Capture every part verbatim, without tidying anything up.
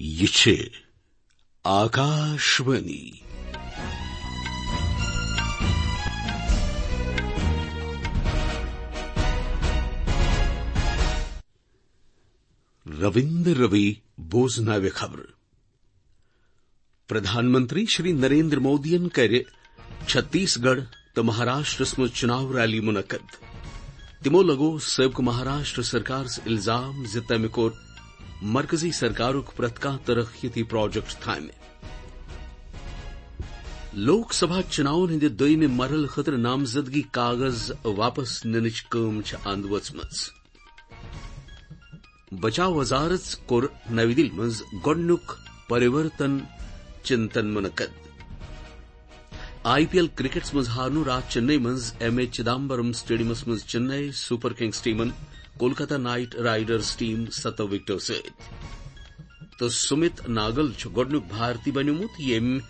یہِ چھِ آکاشوانی۔ رویندر روی بوزناوِ خبرٕ۔ پردھان منتری شری نریندر مودیَن کَرِ چھتیس گڑھ تہٕ مہاراشٹرس منٛز چناو ریلی منعقد۔ تِمو لگوو سٲبقہٕ مہاراشٹر سرکارس الزام زِ تٔمۍ کوٚر مرکزی سرکارُک پرٛٮ۪تھ کانٛہہ ترقیتی پروجیکٹ تھامہِ۔ لوک سبھا چناون ہٕنٛدِ دوٚیمہِ مرحلہٕ خٲطرٕ نامزدگی کاغذ واپس نِنٕچ کٲم چھِ اند وٲژمٕژ۔ بچاو وزارت کوٚر نَوِ دِلہِ منٛز گۄڈٕنیُک پریورتن چنتن منعقد۔ آئی پی ایل کرکٹس منٛز ہارنو راتھ چنئی منٛز ایم اے چدمبرم سٹیڈیمس منٛز چنئی سپر کنگز ٹیمن کولکتہ نائٹ رائیڈرز ٹیم ستو وکٹو سۭتۍ۔ تہٕ سمت ناگل چھُ گۄڈٕنیُک بھارتی بنیومُت، ییٚمۍ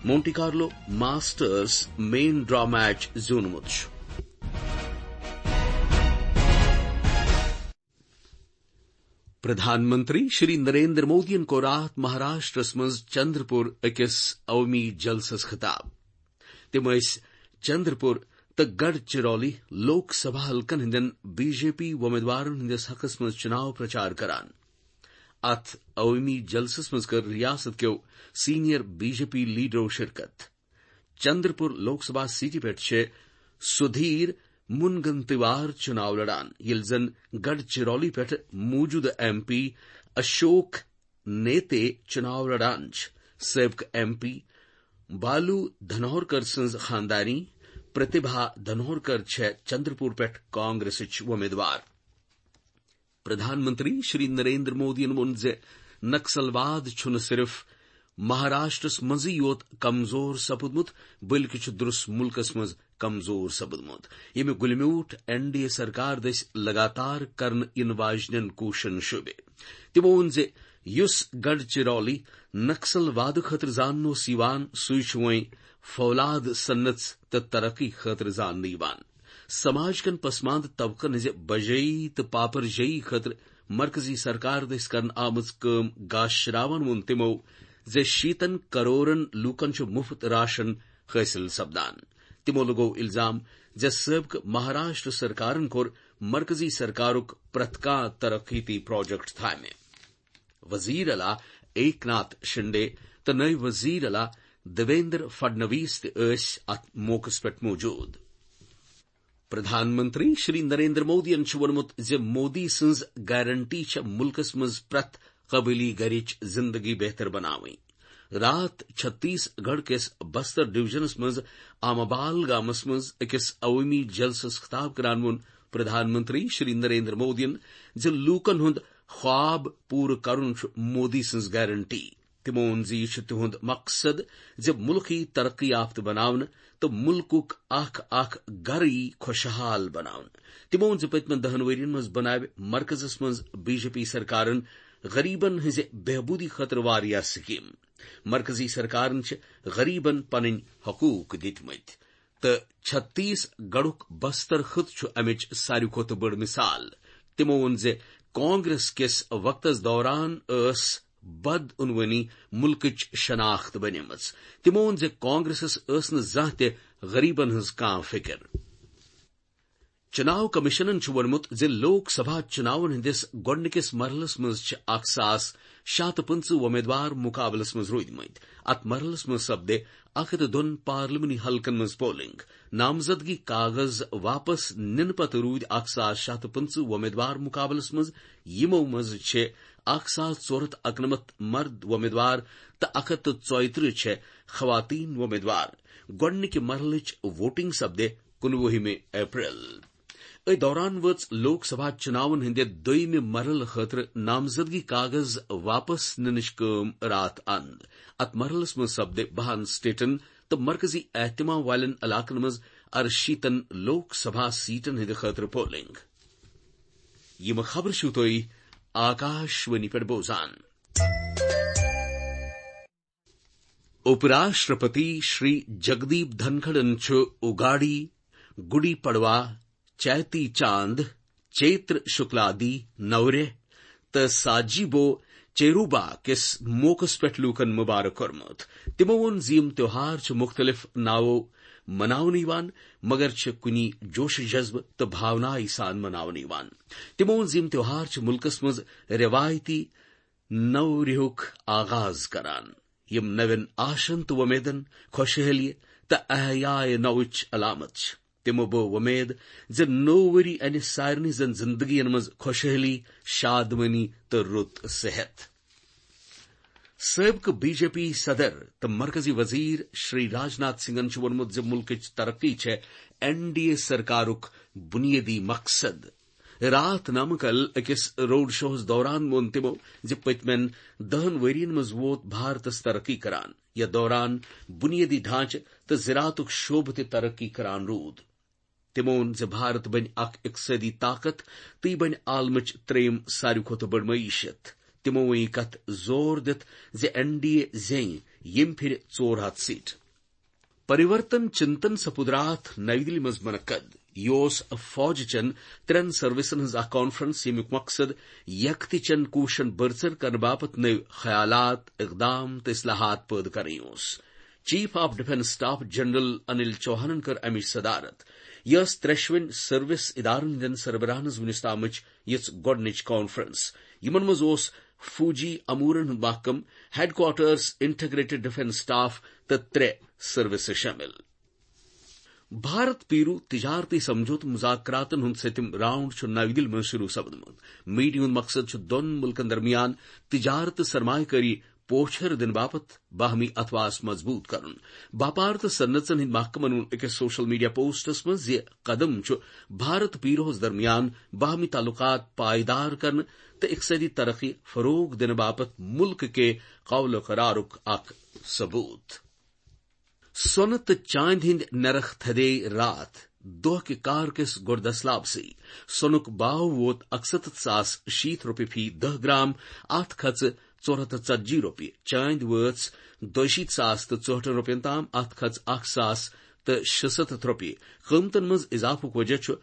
مونٹی کارلو ماسٹرز مین ڈرا میچ زیوٗنمُت چھُ۔ پردھان منتری شری نریندر مودیَن کوٚر راتھ مہاراشٹرس منٛز چندرپور أکِس عوٲمی جلسس خطاب۔ تِم ٲسۍ چندرپور تہٕ گڑھ چرولی لوک سبھا حلقن ہٕنٛدٮ۪ن بی جے پی وۄمیدوارن ہٕنٛدِس حقس منٛز چناو پرچار کران۔ اتھ عوٲمی جلسس منٛز کٔر ریاست کیو سینئر بی جے پی لیڈرو شرکت۔ چندرپور لوک سبھا سیٹہِ پٮ۪ٹھ چھِ سدھیر مونگنتیوار چناو لڑان، ییٚلہِ زن گڑھ چرولی پٮ۪ٹھ موجودٕ ایم پی اشوک نیتے چناو لڑان چھِ۔ سٲبقہٕ ایم پی بالو دھنورکر سٕنٛز خاندانی پرتیبھا دھنورکر چھےٚ چندرپور پٮ۪ٹھ کانگریسٕچ وۄمیدوار۔ پردھان منتری شری نریندر مودیَن ووٚن زِ نکسل واد چھُنہٕ صرف مہاراشٹرس منٛزٕے یوت کمزور سپُدمُت، بلکہِ چھُ درس ملکس منٛز کمزور سپُدمُت، ییٚمیُک گُلہِ میوٗٹھ این ڈی اے سرکار دٔسۍ لگاتار کرنہٕ یِنہٕ واجنٮ۪ن کوٗششن شوٗبہِ۔ تِمو ووٚن زِ یُس گڑھ چرولی نکسل وادٕ خٲطرٕ زاننہٕ اوس یِوان، سُے چھُ وۄنۍ فولاد صنعت تہٕ ترقی خٲطرٕ زاننہٕ یِوان۔ سماج کٮ۪ن پسماندٕ طبقن ہٕنٛزِ بجٲیی تہٕ پاپرجٲیی خٲطرٕ مرکزی سرکار دٔسۍ کرنہٕ آمٕژ کٲم گاشراوان ووٚن تِمو زِ شیٖتن کرورن لوٗکن چھُ مُفت راشن حٲصِل سپدان۔ تِمو لگوو الزام زِ سٲبقہٕ مہاراشٹر سرکارن کوٚر مرکزی سرکارُک پرٛٮ۪تھ کانٛہہ ترقیتی پروجیکٹ تھامہِ۔ وزیر اعلیٰ ایک ناتھ شنڈے تہٕ نٲیِب وزیر اعلیٰ دیویندر فڈنویس تہِ ٲسۍ اتھ موقعس پٮ۪ٹھ موجود۔ پردھان منتری شری نریندر مودیَن چھُ ووٚنمُت زِ مودی سٕنٛز گارنٹی چھےٚ مُلکس منٛز پرٛٮ۪تھ قبٲیلی گرٕچ زندگی بہتر بناوٕنۍ۔ راتھ چھتیس گڑھ کِس بستر ڈویژنس منٛز آمابال گامس منٛز أکِس عوٲمی جلسس خطاب کران ووٚن پردھان منتری شری نریندر مودیَن زِ لوٗکن ہُنٛد خواب پوٗرٕ کرُن چھُ مودی سٕنٛز گارنٹی۔ تِمو ووٚن زِ یہِ چھُ تِہُنٛد مقصد زِ مُلک یی ترقی یافتہٕ بناونہٕ تہٕ مُلکُک اکھ اکھ گرٕ یی خۄشحال بناونہٕ۔ تِمو ووٚن زِ پٔتمٮ۪ن دَہَن ؤرین منٛز بناوِ مرکزس منٛز بی جے پی سرکارن غریبن ہٕنٛزِ بہبوٗدی خٲطرٕ واریاہ سکیٖم۔ مرکزی سرکارن چھِ غریبن پنٕنۍ حقوٗق دِتمٕتۍ تہٕ چھتیس گڑھُک بستر خٕطہٕ چھُ امِچ ساروی کھۄتہٕ بٔڑ مثال۔ تِمو ووٚن زِ کانگریس کِس وقتس دوران ٲس بدعنوٲنی مُلکٕچ شناخت بنیمٕژ۔ تِمو ووٚن زِ کانگریسس ٲس نہٕ زانٛہہ تہِ غریبن ہٕنٛز کانٛہہ فکر۔ چناو کمیشنن چھُ ووٚنمُت زِ لوک سبھا چناون ہٕنٛدِس گۄڈٕنِکِس مرحلس منٛز چھِ اکھ ساس شےٚ ہتھ تہٕ پٕنٛژٕہ وۄمیدوار مقابلس منٛز روٗدمٕتۍ۔ اتھ مرحلس منٛز سپدِ اکھ ہتھ تہٕ دۄن پارلیمانی حلقن منٛز پولنگ۔ نامزدگی کاغذ واپس نِنہٕ پتہٕ روٗدۍ اکھ ساس شےٚ ہتھ تہٕ پٕنٛژٕہ وۄمیدوار مقابلس منٛز، یِمو منٛز چھِ اکھ ساس ژور ہتھ اَکنَمَتھ مرد وۄمیدوار تہٕ اکھ ہتھ تہٕ ژۄیہِ ترٕٛہ چھِ خواتین وۄمیدوار۔ گۄڈٕنِکہِ مرحلٕچ ووٹنگ سپدِ کُنوُہمہِ اپریل۔ أتھۍ دوران وٲژ لوک سبھا چناون ہٕنٛدِ دوٚیمہِ مرحلہٕ خٲطرٕ نامزدگی کاغذ واپس نِنٕچ کٲم راتھ اند۔ اتھ مرحلس منٛز سپدِ بَہَن سٹیٹن تہٕ مرکزی اہتمام والٮ۪ن علاقن منٛز ارشیٖتن لوک سبھا سیٹن ہٕنٛدِ خٲطرٕ پولنگ۔ یِم خبرٕ چھِو تُہۍ آکاشوانی پٮ۪ٹھ بوزان۔ اُپ راشٹرپتی شری جگدیپ دھنکھڑن چھُ اُگاڑی، گُڈی پڑوا، چیتی چاند، چیتر شکلادی، نورہ تہٕ ساجیبو چیروبا کِس موقعس پٮ۪ٹھ لوٗکن مبارک کوٚرمُت۔ تِمو ووٚن زِ یِم تیوہار چھِ مُختٔلِف ناوو مناونہٕ یِوان، مگر چھِ کُنی جوش و جذبہٕ تہٕ بھاونایہِ سان مناونہٕ یِوان۔ تِمو ووٚن زِ یِم تیوہار چھِ مُلکس منٛز رٮ۪وایتی نوریہُک آغاز کران، یِم نوٮ۪ن آشن تہٕ وۄمیدن، خۄشحٲلی تہٕ احیائے نوٕچ علامت چھِ۔ تِمو بٲو وۄمید زِ نوٚو ؤری انہِ سارنٕے زن زندگین منٛز خۄشحٲلی، شادمٲنی تہٕ رُت صحت۔ سٲبقہٕ بی جے پی صدر تہٕ مرکزی وزیر شری راجناتھ سنگھن چھُ ووٚنمُت زِ مُلکٕچ ترقی چھےٚ این ڈی اے سرکارُک بُنیٲدی مقصد۔ راتھ نمکل أکِس روڈ شوہَس دوران ووٚن تِمو زِ پٔتمٮ۪ن دَہَن ؤرین منٛز ووت بھارتس ترقی کران، یتھ دوران بُنیٲدی ڈھانچہٕ تہٕ زراعتُک شعبہٕ تہِ ترقی کران روٗد۔ تِمو ووٚن زِ بھارت بنہِ اکھ اقتصٲدی طاقت تہٕ یہِ بنہِ عالمٕچ ترٛیٚیِم ساروی کھۄتہٕ بٔڑ معیشت۔ تِمو ووٚن یہِ کتھ زور دِتھ زِ این ڈی اے زینہِ ییٚمہِ پھِرِ ژور ہتھ سیٹ۔ پریورتن چنتن سپُد راتھ نَوِ دِلہِ منٛز منعقد۔ یہِ اوس فوج چٮ۪ن ترٛٮ۪ن سروسن ہٕنٛز اکھ کانفرنس، ییٚمیُک مقصد یکتہِ چٮ۪ن کوٗششن بٔرژر کرنہٕ باپتھ نٔوۍ خیالات، اقدام تہٕ اصلاحات پٲدٕ کرٕنۍ اوس۔ Chief of defence staff general Anil چوہانن کٔر امِچ صدارت۔ یہِ ٲس ترٛٮ۪شوٕنۍ سروس ادارن ہٕنٛدٮ۪ن سربراہن ہٕنٛز وُنیُس تامٕچ یِژھ گۄڈٕنِچ کانفرنس۔ یِمن منٛز اوس فوجی امورن ہُنٛد محکمہٕ، headquarters, Integrated Defence Staff تہٕ ترٛےٚ سروسہٕ شٲمِل۔ بھارت پیرو تجارتی سمجھوتہٕ مذاکراتن ہُنٛد سٔتِم راؤنڈ چھُ نَوِ دِلہِ منٛز شروع سپدمُت۔ میٹنگ ہُنٛد مقصد چھُ دۄن مُلکن درمیان تجارت تہٕ سرمایہ کٲری پوچھر دِنہٕ باپتھ باہمی اتھواس مضبوط کرُن۔ باپار تہٕ صنعژن ہٕنٛدۍ محکمن ووٚن أکِس سوشل میڈیا پوسٹس منٛز زِ قدم چھُ بھارت پیروہس درمیان باہمی تعلقات پائیدار کرنہٕ تہٕ اقتصٲدی ترقی فروغ دِنہٕ باپتھ مُلکہٕ کہِ قول و قرارُک اکھ ثبوت۔ سۄنہٕ تہٕ چاندِ ہٕنٛدۍ نرخ تھدے راتھ دۄہ کہِ کار کِس گۄڈٕ دٔسلابسٕے۔ سۄنُک باو ووت اَکسَتَتھ ساس شیٖتھ رۄپیہِ فی دَہ گرام، اَتھ کھژٕ ژور ہَتھ تہٕ ژتجی رۄپیہِ۔ چاندِ وٲژ دۄیہِ شیٖتھ ساس تہٕ ژُہٲٹھن رۄپین تام، اَتھ کھژٕ اَکھ ساس تہٕ شُسَتَتھ رۄپیہِ۔ قۭمتن منٛز اضافُک وجہ چھُ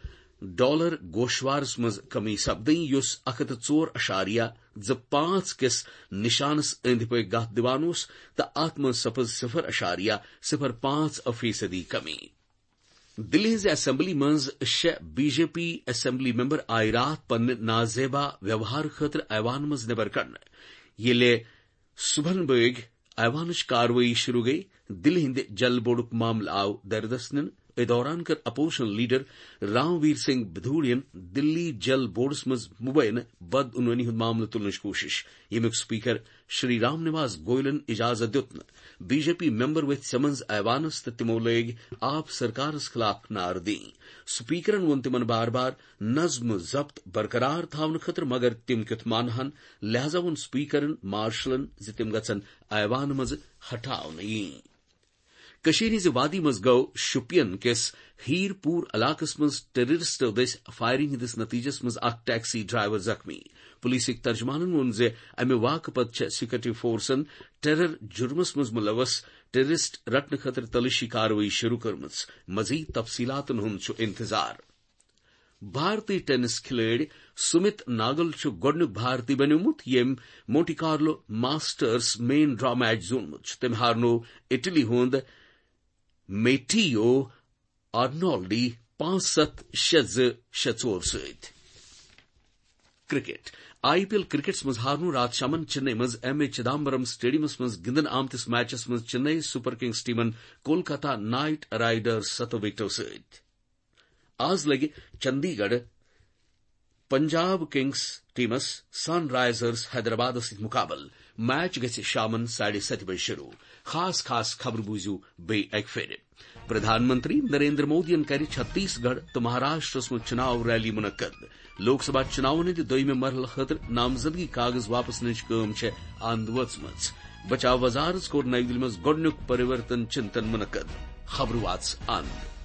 ڈالر گوشوارس منٛز کمی سپدٕنۍ، یُس اَکھ ہَتھ تہٕ ژور اَشاریہ زٕ پانٛژھ کِس نشانس أنٛدۍ پٔکۍ گتھ دِوان اوس تہٕ اتھ منٛز سپٕز صفر اَشاریہ صفر پانٛژھ فیصدی کمی۔ دِلہِ ہٕنٛزِ اسمبلی منٛز شےٚ B J P assembly member آیہِ راتھ پننہِ نازیبا ویوہار خٲطرٕ ایوان منٛز نٮ۪بر کڑنہٕ۔ ییٚلہِ صبحن بٲگۍ ایوانٕچ کاروٲیی شروع گٔیہِ، دِلہِ ہٕنٛدِ جل بورڈُک معاملہٕ آو دردس نِنہٕ۔ أتھۍ دوران کٔر اپوزیشن لیڈر رام ویر سنگھ بدھوڑین دِلی جل بورڈس منٛز مبینہٕ بدعنوانی ہُنٛد معاملہٕ تُلنٕچ کوٗشش، ییٚمیُک سپیکر شری رام نواس گوئلن اجازت دیُت نہٕ۔ بی جے پی ممبر ؤتھۍ سمنز ایوانس تہٕ تِمو لٲگۍ آپ سرکارس خلاف نعرٕ دِنۍ۔ سپیکرن ووٚن تِمن بار بار نظم و ضبط برقرار تھاونہٕ خٲطرٕ، مگر تِم کیُتھ مانہٕ ہن، لہذا ووٚن سپیکرن مارشلن زِ تِم گژھن ایوان منٛزٕ ہٹاونہٕ یِنۍ۔ کٔشیٖرِ ہٕنٛزِ وادی منٛز گوٚو شوپین کِس ہیٖر پوٗر علاقس منٛز ٹیررسٹو دٔسۍ فائرنگ ہٕنٛدِس نتیجس منٛز اکھ ٹیکسی ڈرائیور زخمی۔ پولیسٕکۍ ترجمانن ووٚن زِ امہِ واقعہٕ پتہٕ چھےٚ سیکورٹی فورسن ٹیرر جرمس منٛز ملوث ٹیررسٹ رٹنہٕ خٲطرٕ تلٲشی کاروٲیی شروع کٔرمٕژ۔ مزید تفصیلاتن ہُنٛد چھُ انتظار۔ بھارتی ٹینس کھلٲڑۍ سمت ناگل چھُ گۄڈٕنیُک بھارتی بنیومُت، ییٚمۍ مونٹی کارلو ماسٹرز مین ڈرا میچ زیوٗنمُت چھُ۔ تٔمۍ ہارنوو اٹلی ہُنٛد میٹیو آرنولڈی پانٛژھ ستھ، شےٚ زٕ، شےٚ ژور سۭتۍ۔ کرکٹ۔ آئی پی ایل کرکٹس منٛز ہارنوو راتھ شامن چنئی منٛز ایم اے چدامبرم سٹیڈیمس منٛز گِنٛدنہٕ آمتِس میچس منٛز چنئی سپر کنگز ٹیمن کولکتہ نائٹ رائیڈرز ستو وکٹو سۭتۍ۔ آز لگہِ چندی گڑھ پنجاب کنگز ٹیمس سن رائزرز حیدرآبادس سۭتۍ مقابل۔ میچ گژھِ شامن ساڑھے ستہِ بجہِ شروع۔ خاص خاص خبرٕ بوٗزِو بیٚیہِ اکہِ پھِرِ۔ پردھان منتری نریندر مودیَن کَرِ چھتیس گڑھ تہٕ مہاراشٹرس منٛز چُناو ریلی منعقد۔ لوک سبھا چُناوَن ہٕنٛدِ دوٚیمہِ مرحلہٕ خٲطرٕ نامزدگی کاغذ واپس نِنٕچ کٲم چھےٚ اند وٲژمٕژ۔ بچاو وزارت کوٚر نَوِ دِلہِ منٛز گۄڈٕنیُک پریورتن چنتن منعقد۔ خبرٕ واژٕ اند۔